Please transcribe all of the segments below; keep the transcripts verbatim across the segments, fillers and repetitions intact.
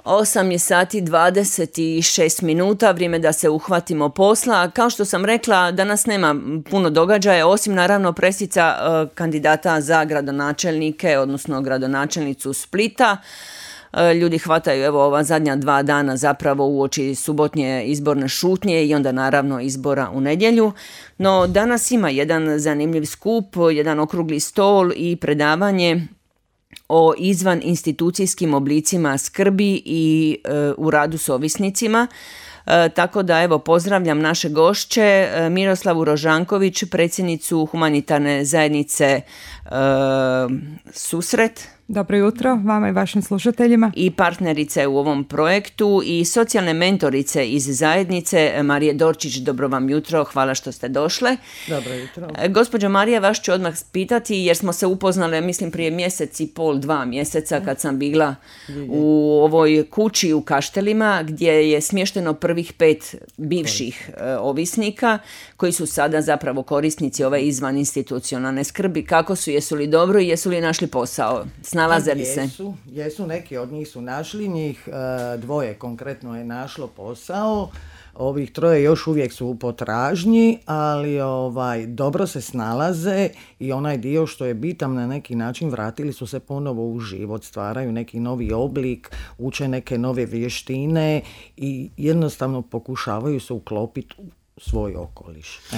osam je sati dvadeset šest minuta, vrijeme da se uhvatimo posla. Kao što sam rekla, danas nema puno događaja, osim naravno presica kandidata za gradonačelnike, odnosno gradonačelnicu Splita. Ljudi hvataju evo ova zadnja dva dana zapravo uoči subotnje izborne šutnje i onda naravno izbora u nedjelju. No danas ima jedan zanimljiv skup, jedan okrugli stol i predavanje o izvan institucijskim oblicima skrbi i e, u radu s ovisnicima. E, tako da evo pozdravljam naše gošće, e, Miroslavu Rožanković, predsjednicu humanitarne zajednice e, Susret. Dobro jutro vama i vašim slušateljima. I partnerice u ovom projektu i socijalne mentorice iz zajednice Marije Dorčić. Dobro vam jutro, hvala što ste došle. Dobro jutro. Gospođo Marija, vas ću odmah pitati jer smo se upoznale, mislim, prije mjesec i pol, dva mjeseca kad sam bila u ovoj kući u Kaštelima gdje je smješteno prvih pet bivših ovisnika koji su sada zapravo korisnici ove izvan institucionalne skrbi. Kako su, jesu li dobro i jesu li našli posao? Nalaze li se? Jesu, jesu, neki od njih su našli, njih dvoje konkretno je našlo posao, ovih troje još uvijek su u potražnji, ali ovaj, dobro se snalaze i onaj dio što je bitan na neki način vratili su se ponovo u život, stvaraju neki novi oblik, uče neke nove vještine i jednostavno pokušavaju se uklopiti u svoj okoliš. E.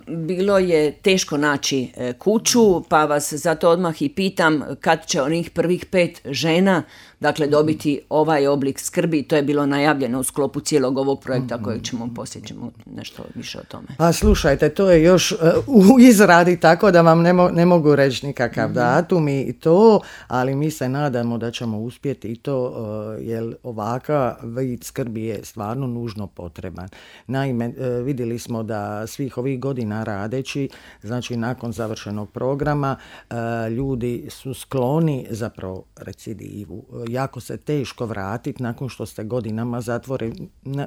Bilo je teško naći kuću, pa vas zato odmah i pitam kad će onih prvih pet žena dakle dobiti ovaj oblik skrbi. To je bilo najavljeno u sklopu cijelog ovog projekta kojeg ćemo poslije ćemo nešto više o tome. Pa slušajte, to je još uh, u izradi, tako da vam ne, mo- ne mogu reći nikakav mm-hmm. datum i to, ali mi se nadamo da ćemo uspjeti i to, uh, jer ovakav vid skrbi je stvarno nužno potreban. Naime, uh, vidjeli smo da svih ovih godina radeći, znači nakon završenog programa, uh, ljudi su skloni zapravo recidivu. Jako se teško vratiti nakon što ste godinama zatvore.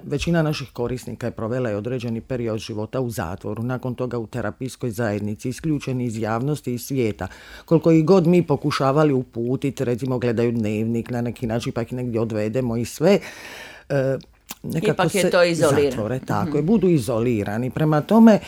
Većina naših korisnika je provela je određeni period života u zatvoru, nakon toga u terapijskoj zajednici, isključeni iz javnosti i svijeta. Koliko i god mi pokušavali uputiti, recimo gledaju dnevnik na neki način, pa ih negdje odvedemo i sve, e, nekako ipak je to izolirano. Zatvore, tako je, budu izolirani. Prema tome, e,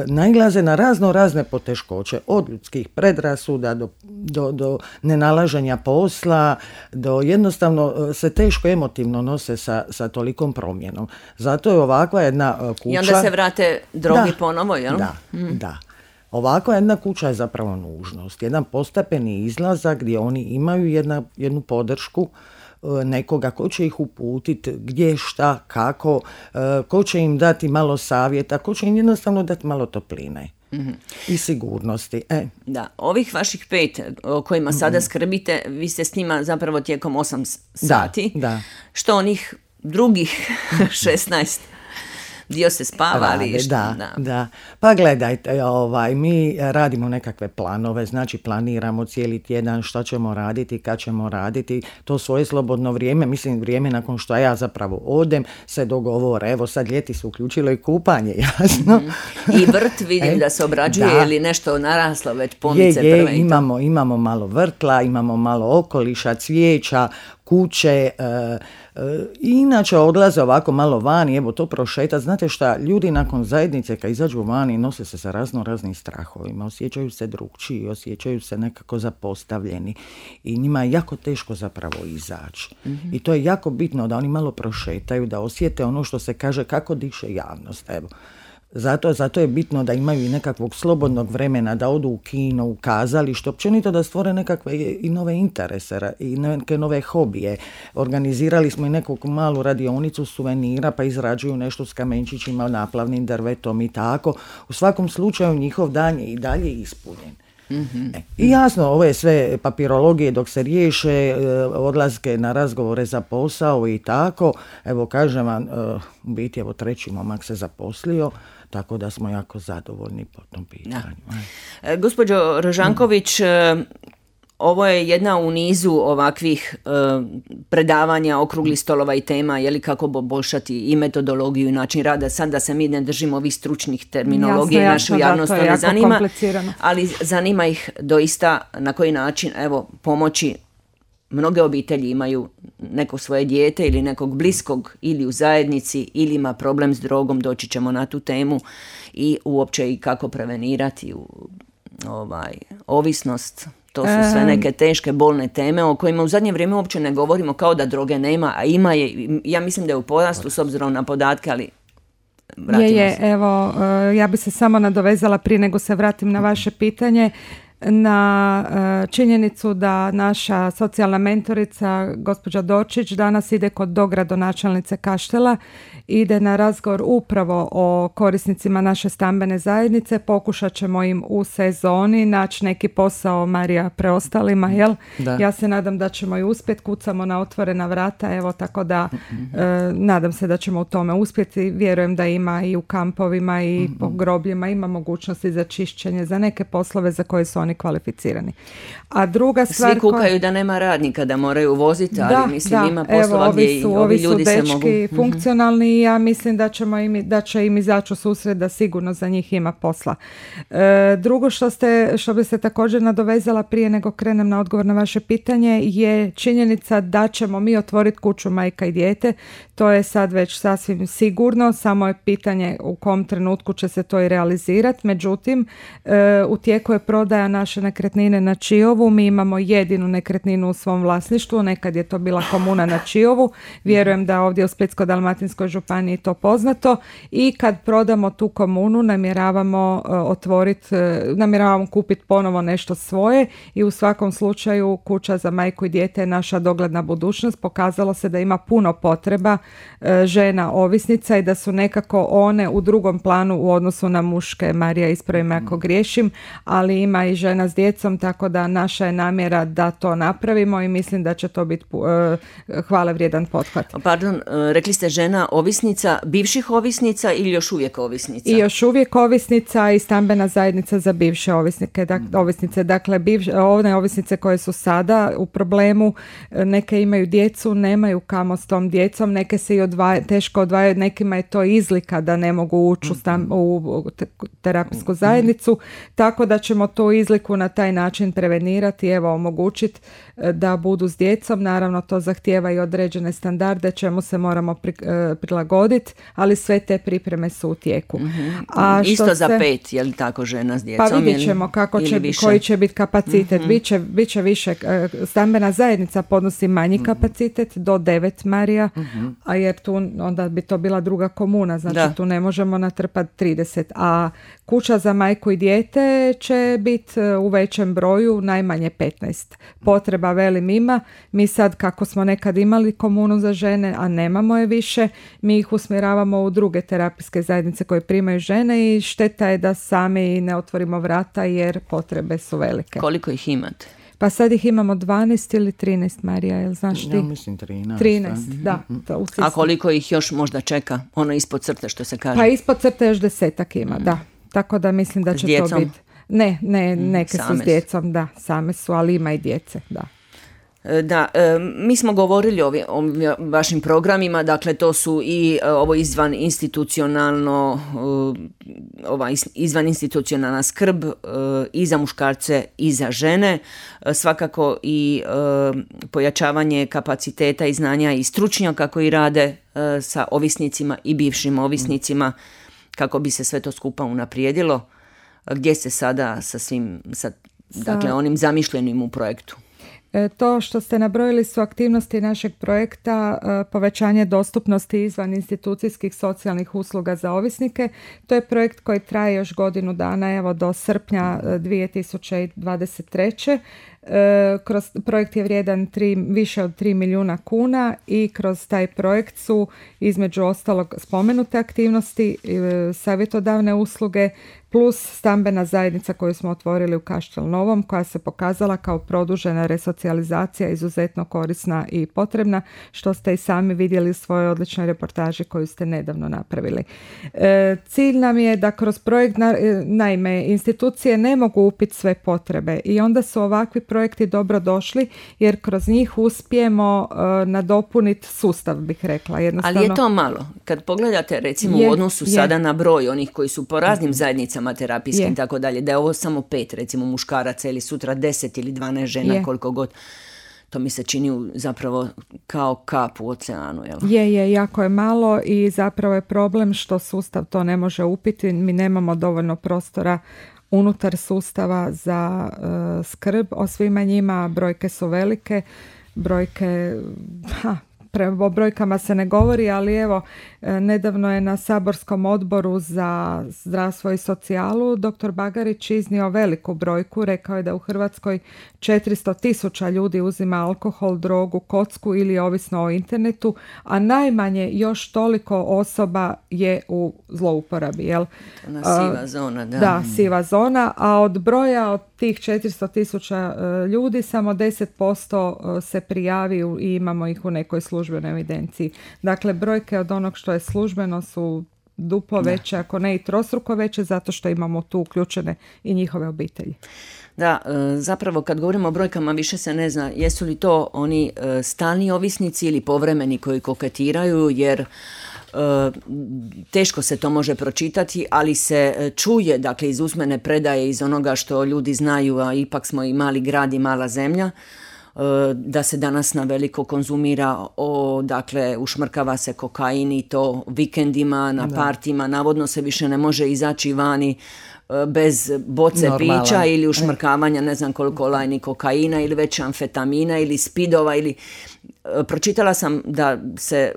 nailaze na razno razne poteškoće, od ljudskih predrasuda do, do, do nenalaženja posla, do jednostavno se teško emotivno nose sa, sa tolikom promjenom. Zato je ovakva jedna kuća... I onda se vrate drogi ponovo, jel? Da, mm. da. Ovakva jedna kuća je zapravo nužnost. Jedan postepeni izlazak gdje oni imaju jedna, jednu podršku, nekoga ko će ih uputiti gdje, šta, kako, ko će im dati malo savjeta, ko će im jednostavno dati malo topline. Mm-hmm. I sigurnosti. E. Da, ovih vaših pet o kojima sada mm-hmm. skrbite, vi ste s njima zapravo tijekom osam sati. Da, da. Što onih drugih šesnaest? Dio se spava, ali što, da, da. da. Pa gledajte, ovaj, mi radimo nekakve planove, znači planiramo cijeli tjedan što ćemo raditi, kad ćemo raditi, to svoje slobodno vrijeme, mislim vrijeme nakon što ja zapravo odem, se dogovore, evo sad ljeti se uključilo i kupanje, jasno. Mm-hmm. I vrt vidim e, da se obrađuje da. Ili nešto naraslo već pomice je, je, prve. Imamo, imamo malo vrtla, imamo malo okoliša, cvijeća, kuće, e, e, inače odlaze ovako malo vani, evo to prošeta. Znate šta, ljudi nakon zajednice kad izađu vani nose se sa razno raznim strahovima, osjećaju se drukčiji, osjećaju se nekako zapostavljeni i njima je jako teško zapravo izaći. Mm-hmm. I to je jako bitno da oni malo prošetaju, da osjete ono što se kaže kako diše javnost, evo. Zato, zato je bitno da imaju i nekakvog slobodnog vremena, da odu u kino, u kazalište, općenito da stvore nekakve i nove interese i neke nove hobije. Organizirali smo i neku malu radionicu suvenira, pa izrađuju nešto s kamenčićima, naplavnim drvetom i tako. U svakom slučaju njihov dan je i dalje ispunjen. Mm-hmm. E, I jasno, ove sve papirologije dok se riješe, odlaske na razgovore za posao i tako, evo kažem vam, u biti evo treći momak se zaposlio, tako da smo jako zadovoljni po tom pitanju. E, gospođo Rožanković, mm. ovo je jedna u nizu ovakvih e, predavanja, okruglih stolova i tema, je li kako poboljšati i metodologiju i način rada. Sad da se mi ne držimo ovih stručnih terminologije, jasno, našu javnost to ne zanima, ali zanima ih doista na koji način evo pomoći. Mnoge obitelji imaju neko svoje dijete ili nekog bliskog ili u zajednici ili ima problem s drogom, doći ćemo na tu temu i uopće i kako prevenirati u, ovaj, ovisnost. To su sve neke teške, bolne teme o kojima u zadnje vrijeme uopće ne govorimo, kao da droge nema, a ima je, ja mislim da je u porastu s obzirom na podatke, ali vratimo je, je, se. Evo, ja bi se samo nadovezala prije nego se vratim na vaše pitanje, na činjenicu da naša socijalna mentorica gospođa Dorčić danas ide kod dogradonačelnice Kaštela, ide na razgovor upravo o korisnicima naše stambene zajednice. Pokušat ćemo im u sezoni naći neki posao, Marija, preostalima, jel? Da. Ja se nadam da ćemo i uspjeti, kucamo na otvorena vrata, evo, tako da mm-hmm. e, nadam se da ćemo u tome uspjeti. Vjerujem da ima i u kampovima i mm-hmm. po grobljima ima mogućnosti za čišćenje, za neke poslove za koje su oni kvalificirani. A druga stvar... Svi kukaju koja... da nema radnika, da moraju voziti, ali da, mislim da, ima poslova evo, gdje su, ovi, ovi ljudi dečki se mogu... funkcionalni i ja mislim da, ćemo im, da će im izaći u susret, da sigurno za njih ima posla. E, drugo što, ste, što bi se također nadovezala prije nego krenem na odgovor na vaše pitanje je činjenica da ćemo mi otvoriti kuću majka i dijete. To je sad već sasvim sigurno, samo je pitanje u kom trenutku će se to i realizirati. Međutim, e, u tijeku je prodaja naše nekretnine na Čiovu. Mi imamo jedinu nekretninu u svom vlasništvu, nekad je to bila komuna na Čiovu. Vjerujem da ovdje u Splitsko-dalmatinskoj županiji to poznato i kad prodamo tu komunu namjeravamo uh, otvoriti, uh, namjeravamo kupiti ponovo nešto svoje i u svakom slučaju kuća za majku i dijete je naša dogledna budućnost. Pokazalo se da ima puno potreba uh, žena ovisnica i da su nekako one u drugom planu u odnosu na muške. Marija, ispravi me ako griješim, ali ima i žena s djecom, tako da naša je namjera da to napravimo i mislim da će to biti uh, hvale vrijedan pothvat. Pardon, uh, rekli ste žena ovisnica, bivših ovisnica ili još uvijek ovisnica? I još uvijek ovisnica i stambena zajednica za bivše ovisnike, dak, mm. ovisnice. Dakle, bivše, one ovisnice koje su sada u problemu, neke imaju djecu, nemaju kamo s tom djecom, neke se i odvaja, teško odvajaju, nekima je to izlika da ne mogu ući u, stam, u terapijsku zajednicu, tako da ćemo tu izliku na taj način prevenirati, evo, omogućiti da budu s djecom. Naravno, to zahtijeva i određene standarde, čemu se moramo pri, prilagoditi, ali sve te pripreme su u tijeku. Mm-hmm. A isto se, za pet, je li tako, žena s djecom? Pa vidjet ćemo kako će, koji će biti kapacitet. Mm-hmm. Biće, biće više, stambena zajednica podnosi manji mm-hmm. kapacitet, do devet, Marija, mm-hmm. a jer tu onda bi to bila druga komuna, znači da. Tu ne možemo natrpati trideset, a kuća za majku i dijete će biti u većem broju, najmanje petnaest. Potreba velim ima. Mi sad, kako smo nekad imali komunu za žene, a nemamo je više, mi ih usmjeravamo u druge terapijske zajednice koje primaju žene i šteta je da sami ne otvorimo vrata jer potrebe su velike. Koliko ih imate? Pa sad ih imamo dvanaest ili trinaest, Marija, jel znaš ti? Ja mislim trinaest. trinaest, da. To a koliko ih još možda čeka? Ono ispod crte, što se kaže? Pa ispod crte još desetak ima, mm. da. Tako da mislim da će to biti. Ne, ne, neke same su s djecom, da, same su, ali ima i djece, da. Da, mi smo govorili o, o vašim programima, dakle to su i ovo izvan institucionalno, ova izvan institucionalna skrb i za muškarce i za žene, svakako i pojačavanje kapaciteta i znanja i stručnjaka koji rade sa ovisnicima i bivšim ovisnicima kako bi se sve to skupa unaprijedilo. Gdje ste sada sa svim, sa, dakle onim zamišljenim u projektu? To što ste nabrojili su aktivnosti našeg projekta povećanje dostupnosti izvan institucijskih socijalnih usluga za ovisnike. To je projekt koji traje još godinu dana, evo do srpnja dvije tisuće dvadeset treće. Kroz projekt je vrijedan tri, više od tri milijuna kuna i kroz taj projekt su između ostalog spomenute aktivnosti, savjetodavne usluge plus stambena zajednica koju smo otvorili u Kaštel Novom, koja se pokazala kao produžena resocijalizacija izuzetno korisna i potrebna, što ste i sami vidjeli u svojoj odličnoj reportaži koju ste nedavno napravili. E, cilj nam je da kroz projekt, na, naime, institucije ne mogu upiti sve potrebe i onda su ovakvi projekti dobro došli jer kroz njih uspijemo uh, nadopuniti sustav, bih rekla. Ali je to malo. Kad pogledate recimo je, u odnosu je. sada na broj onih koji su po raznim zajednicama terapijskim i tako dalje, da je ovo samo pet recimo muškaraca ili sutra deset ili dvanaest žena, je. koliko god. to mi se čini zapravo kao kap u oceanu. Jel? Je, je, jako je malo i zapravo je problem što sustav to ne može upiti. Mi nemamo dovoljno prostora unutar sustava za uh, skrb o svima njima. Brojke su velike, brojke... Ha, Pre, o brojkama se ne govori, ali evo, nedavno je na saborskom odboru za zdravstvo i socijalu doktor Bagarić iznio veliku brojku. Rekao je da u Hrvatskoj četiristo tisuća ljudi uzima alkohol, drogu, kocku ili ovisno o internetu, a najmanje još toliko osoba je u zlouporabi. Jel? Ona siva zona, da. Da, siva zona, a od broja od tih četiristo tisuća ljudi samo deset posto se prijavi i imamo ih u nekoj službenoj evidenciji. Dakle, brojke od onog što je službeno su duplo veće, ako ne i trostruko veće, zato što imamo tu uključene i njihove obitelji. Da, zapravo kad govorimo o brojkama više se ne zna jesu li to oni stalni ovisnici ili povremeni koji koketiraju, jer teško se to može pročitati, ali se čuje, dakle, iz usmene predaje, iz onoga što ljudi znaju, a ipak smo i mali grad i mala zemlja, da se danas na veliko konzumira, o, dakle, ušmrkava se kokain i to vikendima, na partima, navodno se više ne može izaći vani bez boce Normalan. pića ili ušmrkavanja ne znam koliko lajni kokaina ili već amfetamina ili spidova ili... Pročitala sam da se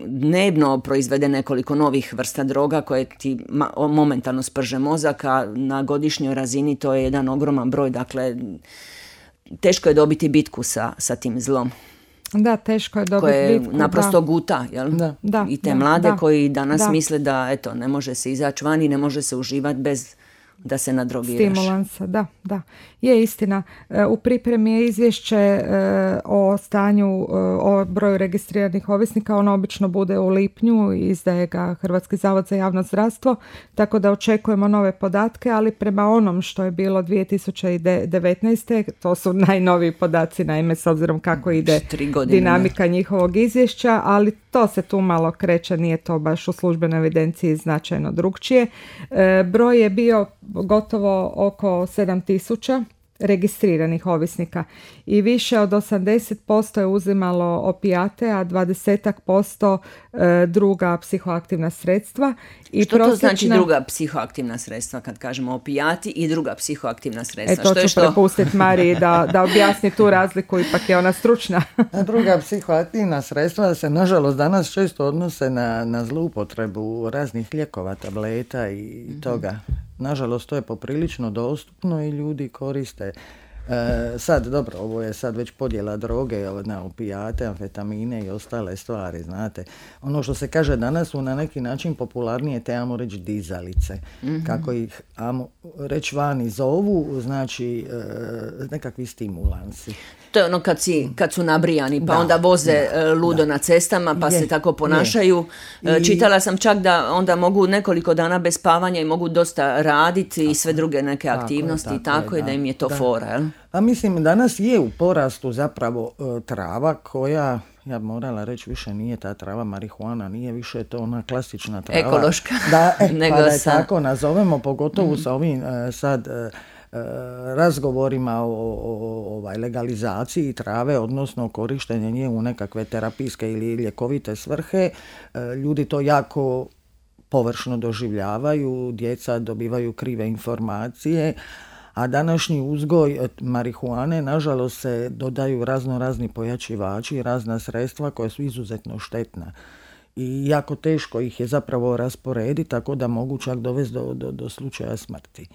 dnevno proizvede nekoliko novih vrsta droga koje ti momentalno sprže mozak, a na godišnjoj razini to je jedan ogroman broj, dakle teško je dobiti bitku sa, sa tim zlom. Da, teško je dobiti koje bitku. naprosto da. guta, jel? Da. Da, i te da, mlade da, koji danas da. misle da eto, ne može se izaći van i ne može se uživati bez da se nadrogiraš. Stimulansa, da, da. Je istina. U pripremi je izvješće o stanju, o broju registriranih ovisnika. Ono obično bude u lipnju, izdaje ga Hrvatski zavod za javno zdravstvo, tako da očekujemo nove podatke, ali prema onom što je bilo dvije tisuće devetnaeste. to su najnoviji podaci, naime, s obzirom kako ide dinamika njihovog izvješća, ali to se tu malo kreće, nije to baš u službenoj evidenciji značajno drugčije. Broj je bio gotovo oko sedam tisuća registriranih ovisnika i više od osamdeset posto je uzimalo opijate, a dvadeset posto druga psihoaktivna sredstva. I što prosječna... to znači druga psihoaktivna sredstva kad kažemo opijati i druga psihoaktivna sredstva? E to što ću je što... prepustiti Mariji da, da objasni tu razliku, ipak je ona stručna. Druga psihoaktivna sredstva se nažalost danas često odnose na, na zloupotrebu raznih lijekova, tableta i mm-hmm. toga. Nažalost, to je poprilično dostupno i ljudi koriste. E, sad, dobro, ovo je sad već podjela droge na opijate, amfetamine i ostale stvari, znate. Ono što se kaže danas su na neki način popularnije te, ajmo reći, dizalice. Mm-hmm. Kako ih, ajmo reći, vani zovu, znači e, nekakvi stimulansi. To je ono kad, si, kad su nabrijani, pa da, onda voze da, ludo da. na cestama, pa je, se tako ponašaju. I... Čitala sam čak da onda mogu nekoliko dana bez spavanja i mogu dosta raditi tako, i sve druge neke aktivnosti i tako, tako je, da, da im je to da. fora. Jel? A mislim, danas je u porastu zapravo uh, trava koja... Ja bi morala reći, više nije ta trava marihuana, nije više to ona klasična trava. Ekološka. Da, e, Nego pa da je sa... tako nazovemo, pogotovo mm-hmm. sa ovim uh, sad uh, uh, razgovorima o, o, o ovaj, legalizaciji trave, odnosno korištenje nje u nekakve terapijske ili ljekovite svrhe. Uh, ljudi to jako površno doživljavaju, djeca dobivaju krive informacije, a današnji uzgoj marihuane, nažalost, se dodaju razno razni pojačivači, razna sredstva koja su izuzetno štetna. I jako teško ih je zapravo rasporediti, tako da mogu čak dovesti do, do, do slučaja smrti.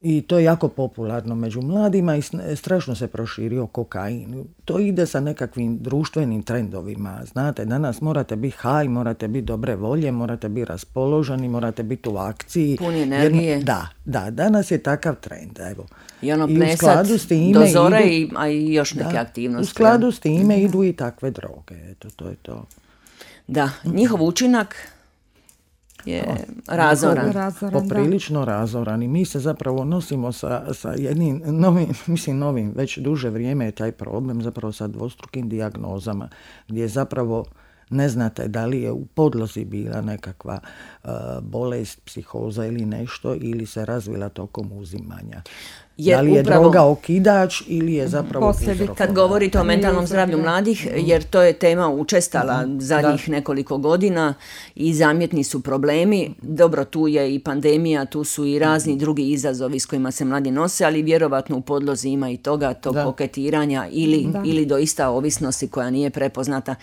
I to je jako popularno među mladima i strašno se proširio kokain. To ide sa nekakvim društvenim trendovima. Znate, danas morate biti high, morate biti dobre volje, morate biti raspoloženi, morate biti u akciji. Puni energije. Jer, da, da, danas je takav trend. Evo. I ono plesat do zore, idu, a i još neke da, aktivnosti. U skladu s time mm-hmm. idu i takve droge. Eto, to je to. Da, njihov učinak je razoran. razoran Poprilično da. razoran i mi se zapravo nosimo sa, sa jednim novim, mislim novim, već duže vrijeme je taj problem zapravo sa dvostrukim dijagnozama, gdje zapravo ne znate da li je u podlozi bila nekakva uh, bolest, psihoza ili nešto, ili se razvila tokom uzimanja. Jer da li je upravo, droga okidač ili je zapravo uzrok. Kad govorite o mentalnom zdravlju mladih, jer to je tema učestala mm. zadnjih da. nekoliko godina i zamjetni su problemi. Dobro, tu je i pandemija, tu su i razni mm. drugi izazovi s kojima se mladi nose, ali vjerovatno u podlozi ima i toga, tog da. koketiranja ili, ili doista ovisnosti koja nije prepoznata.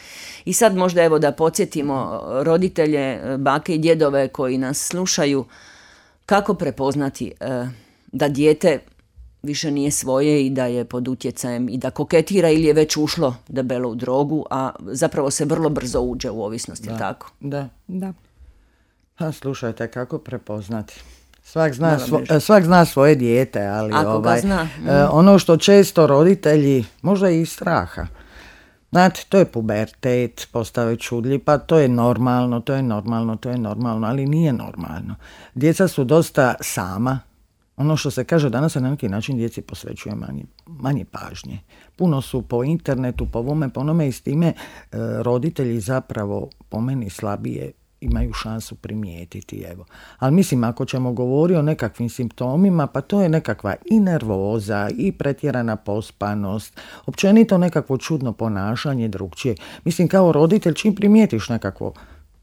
I sad možda evo da podsjetimo roditelje, bake i djedove koji nas slušaju, kako prepoznati uh, da dijete više nije svoje i da je pod utjecajem i da koketira ili je već ušlo debelo u drogu, a zapravo se vrlo brzo uđe u ovisnost, da, je tako? Da. Da. Pa slušajte, kako prepoznati? Svak zna, svo, svak zna svoje dijete, ali ovaj, zna. Mm. ono što često roditelji, možda i iz straha, znate, to je pubertet, postave čudlji, pa to je normalno, to je normalno, to je normalno, ali nije normalno. Djeca su dosta sama. Ono što se kaže danas se na neki način djeci posvećuje manje, manje pažnje. Puno su po internetu, po ovome, po onome i s time e, roditelji zapravo po meni slabije imaju šansu primijetiti. Evo. Ali mislim, ako ćemo govoriti o nekakvim simptomima, pa to je nekakva i nervoza, i pretjerana pospanost, općenito nekakvo čudno ponašanje drugčije. Mislim, kao roditelj, čim primijetiš nekakvo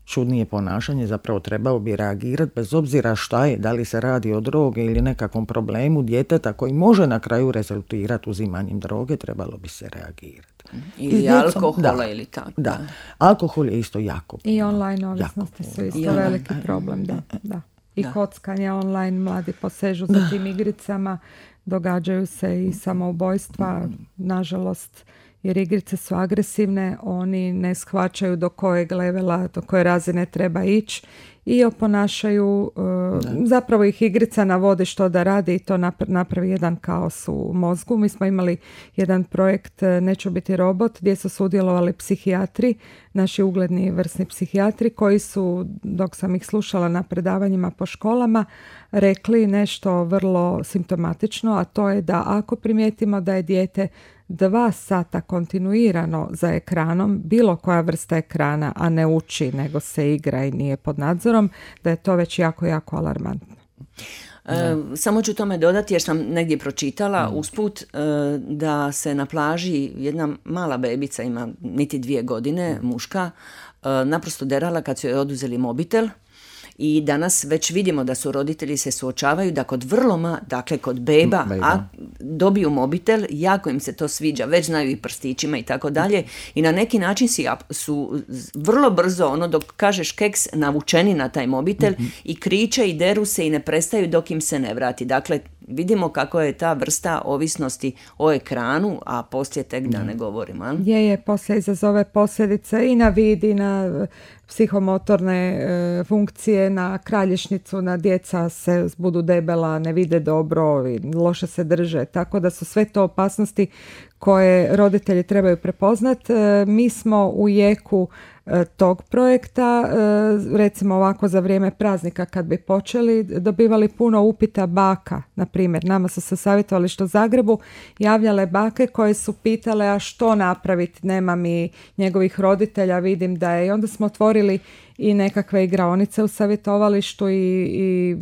čudnije ponašanje, zapravo trebao bi reagirati bez obzira šta je, da li se radi o droge ili nekakvom problemu djeteta koji može na kraju rezultirati uzimanjem droge, trebalo bi se reagirati. Ili alkohola da, ili tako. Da, alkohol je isto jako. I online ovisnosti su isto I veliki problem. Da, da. I da. kockanje online, mladi posežu za tim igricama, događaju se i samoubojstva, nažalost, jer igrice su agresivne, oni ne shvaćaju do kojeg levela, do koje razine treba ići i oponašaju, uh, zapravo ih igrica navodi što da radi i to napravi jedan kaos u mozgu. Mi smo imali jedan projekt Neću biti robot gdje su sudjelovali psihijatri, naši ugledni vrsni psihijatri koji su, dok sam ih slušala na predavanjima po školama, rekli nešto vrlo simptomatično, a to je da ako primijetimo da je dijete dva sata kontinuirano za ekranom, bilo koja vrsta ekrana, a ne uči, nego se igra i nije pod nadzorom, da je to već jako, jako alarmantno. E, samo ću tome dodati jer sam negdje pročitala mm. usput e, da se na plaži jedna mala bebica, ima niti dvije godine, muška, e, naprosto derala kad su joj oduzeli mobitel. I danas već vidimo da su roditelji se suočavaju da kod vrlo ma, dakle kod beba, beba. A dobiju mobitel, jako im se to sviđa, već znaju i prstićima i tako dalje i na neki način si, su vrlo brzo, ono dok kažeš keks, navučeni na taj mobitel mm-hmm. i kriče i deru se i ne prestaju dok im se ne vrati. Dakle, vidimo kako je ta vrsta ovisnosti o ekranu, a poslije tek da ne govorimo. A? Je, je, poslije izazove posljedice i na vid i na psihomotorne e, funkcije, na kralježnicu, na djeca se budu debela, ne vide dobro, loše se drže, tako da su sve to opasnosti koje roditelji trebaju prepoznati. E, mi smo u jeku e, tog projekta, e, recimo ovako za vrijeme praznika kad bi počeli, dobivali puno upita baka, na primjer. Nama su se savjetovališta u Zagrebu javljale bake koje su pitale a što napraviti, nema mi njegovih roditelja, vidim da je. I onda smo otvorili i nekakve igraonice u savjetovalištu i, i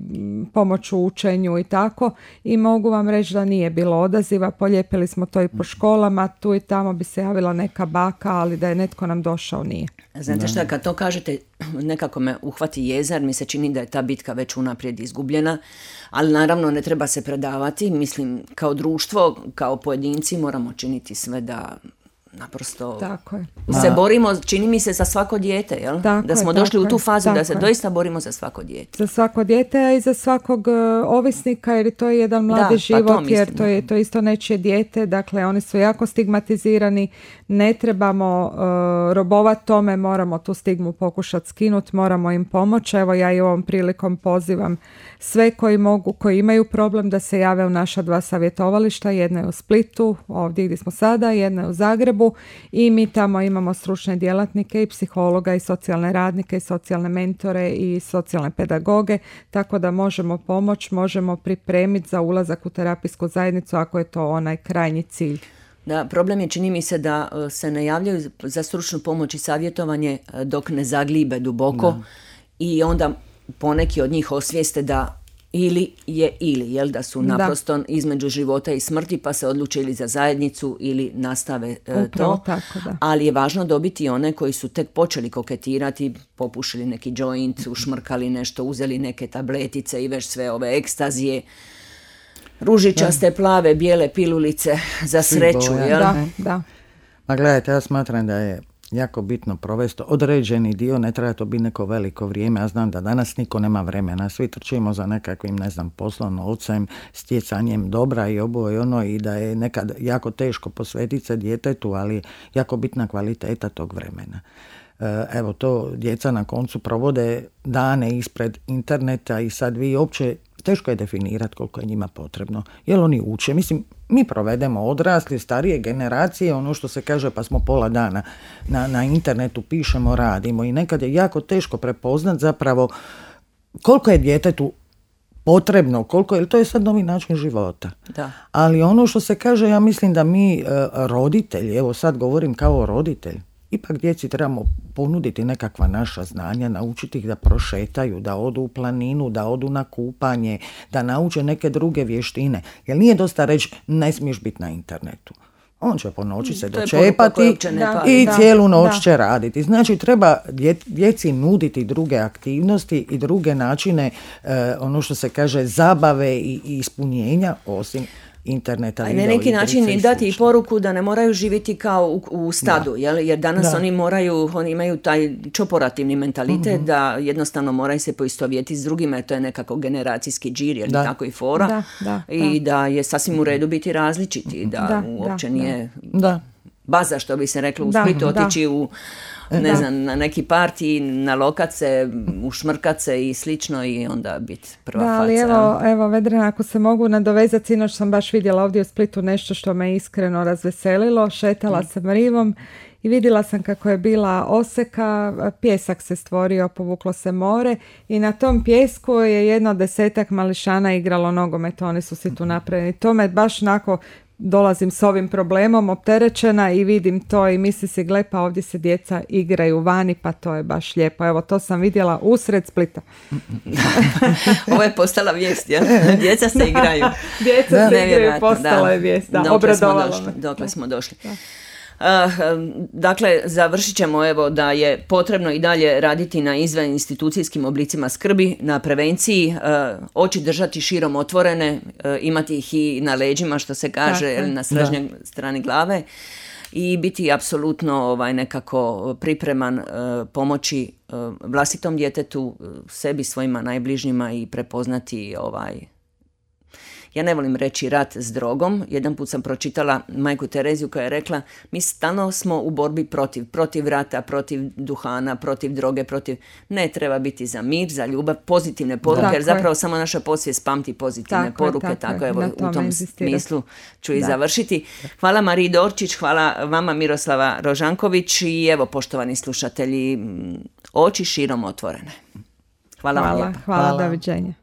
pomoć u učenju i tako. I mogu vam reći da nije bilo odaziva, polijepili smo to i po školama, tu i tamo bi se javila neka baka, ali da je netko nam došao nije. Znate šta, kad to kažete, nekako me uhvati jezar, mi se čini da je ta bitka već unaprijed izgubljena, ali naravno ne treba se predavati, mislim kao društvo, kao pojedinci moramo činiti sve da naprosto tako je. se borimo, čini mi se, za svako dijete, jel? Tako da smo je, došli u tu fazu tako da se je. doista borimo za svako dijete. Za svako dijete, a i za svakog uh, ovisnika, jer to je jedan mladi da, život, pa to jer to je to isto nečije dijete, dakle oni su jako stigmatizirani, ne trebamo uh, robovati tome, moramo tu stigmu pokušati skinuti, moramo im pomoći. Evo ja i ovom prilikom pozivam sve koji mogu, koji imaju problem da se jave u naša dva savjetovališta, jedna je u Splitu, ovdje gdje smo sada, jedna je u Zagrebu i mi tamo imamo stručne djelatnike i psihologa i socijalne radnike i socijalne mentore i socijalne pedagoge, tako da možemo pomoći, možemo pripremiti za ulazak u terapijsku zajednicu ako je to onaj krajnji cilj. Da, problem je, čini mi se, da se ne javljaju za stručnu pomoć i savjetovanje dok ne zaglibe duboko da. I onda poneki od njih osvijeste da ili je ili, jel da su naprosto da. između života i smrti pa se odluče ili za zajednicu ili nastave e, to. Tako, da. Ali je važno dobiti one koji su tek počeli koketirati, popušili neki joint, ušmrkali nešto, uzeli neke tabletice i već sve ove ekstazije, ružičaste, plave, bijele pilulice za sreću. Jel? Da, da. Ma gledajte, ja smatram da je jako bitno provesti određeni dio, ne treba to biti neko veliko vrijeme. Ja znam da danas niko nema vremena, svi trčimo za nekakvim, ne znam, poslom, novcem, stjecanjem dobra i ovo i ono, i da je nekad jako teško posvetiti se djetetu, ali jako bitna kvaliteta tog vremena. Evo, to djeca na koncu provode dane ispred interneta i sad vi uopće teško je definirati koliko je njima potrebno. Jel oni uče? Mislim, mi provedemo odrasli, starije generacije, ono što se kaže, pa smo pola dana na, na internetu, pišemo, radimo i nekad je jako teško prepoznat zapravo koliko je djetetu potrebno, koliko je, to je sad novi način života. Da. Ali ono što se kaže, ja mislim da mi roditelji, evo sad govorim kao roditelj, ipak djeci trebamo ponuditi nekakva naša znanja, naučiti ih da prošetaju, da odu u planinu, da odu na kupanje, da nauče neke druge vještine. Jer nije dosta reći ne smiješ biti na internetu. On će po noći se dočepati i da, cijelu noć da. će raditi. Znači treba djeci nuditi druge aktivnosti i druge načine, eh, ono što se kaže, zabave i, i ispunjenja osim interneta. A na neki način i dati i poruku da ne moraju živjeti kao u, u stadu, jel? Jer danas da. oni moraju, oni imaju taj čoporativni mentalitet mm-hmm. da jednostavno moraju se poistovjetiti s drugima, jer to je nekako generacijski džir, jer da. tako i fora. Da, da, I da. da je sasvim u redu biti različiti, da, da uopće da, nije da. baza, što bi se reklo u Splitu, otići u ne da. znam, na neki parti, na lokace, ušmrkat se i slično i onda biti prva da, faca. Ali evo, evo Vedrana, ako se mogu nadovezati, sinoć sam baš vidjela ovdje u Splitu nešto što me iskreno razveselilo. Šetala mm. sam rivom i vidjela sam kako je bila oseka, pjesak se stvorio, povuklo se more i na tom pjesku je jedno desetak mališana igralo nogomet, oni su si tu napravili. To me baš onako, dolazim s ovim problemom opterećena i vidim to i misli si, gle, pa ovdje se djeca igraju vani, pa to je baš lijepo. Evo, to sam vidjela usred Splita. Ovo je postala vijest, ja? Djeca se igraju. Djeca da. se igraju, postala da. je vijest. Da, obradovalo me. Dokle smo došli. Da. Uh, dakle, završit ćemo evo da je potrebno i dalje raditi na izvan institucijskim oblicima skrbi, na prevenciji, uh, oči držati širom otvorene, uh, imati ih i na leđima, što se kaže, tako, na srednjoj strani glave i biti apsolutno ovaj, nekako pripreman uh, pomoći uh, vlastitom djetetu, sebi, svojima najbližnjima i prepoznati ovaj ja ne volim reći rat s drogom. Jedan put sam pročitala majku Tereziju koja je rekla, mi stalno smo u borbi protiv, protiv rata, protiv duhana, protiv droge, protiv... Ne, treba biti za mir, za ljubav, pozitivne poruke, da, jer zapravo samo naša podsvijest pamti pozitivne tako poruke, je, tako, tako evo u tom smislu ću i da. završiti. Hvala Mariji Dorčić, hvala vama Miroslava Rožanković i evo poštovani slušatelji, oči širom otvorene. Hvala, hvala vam lijepo. Hvala, hvala, doviđenja.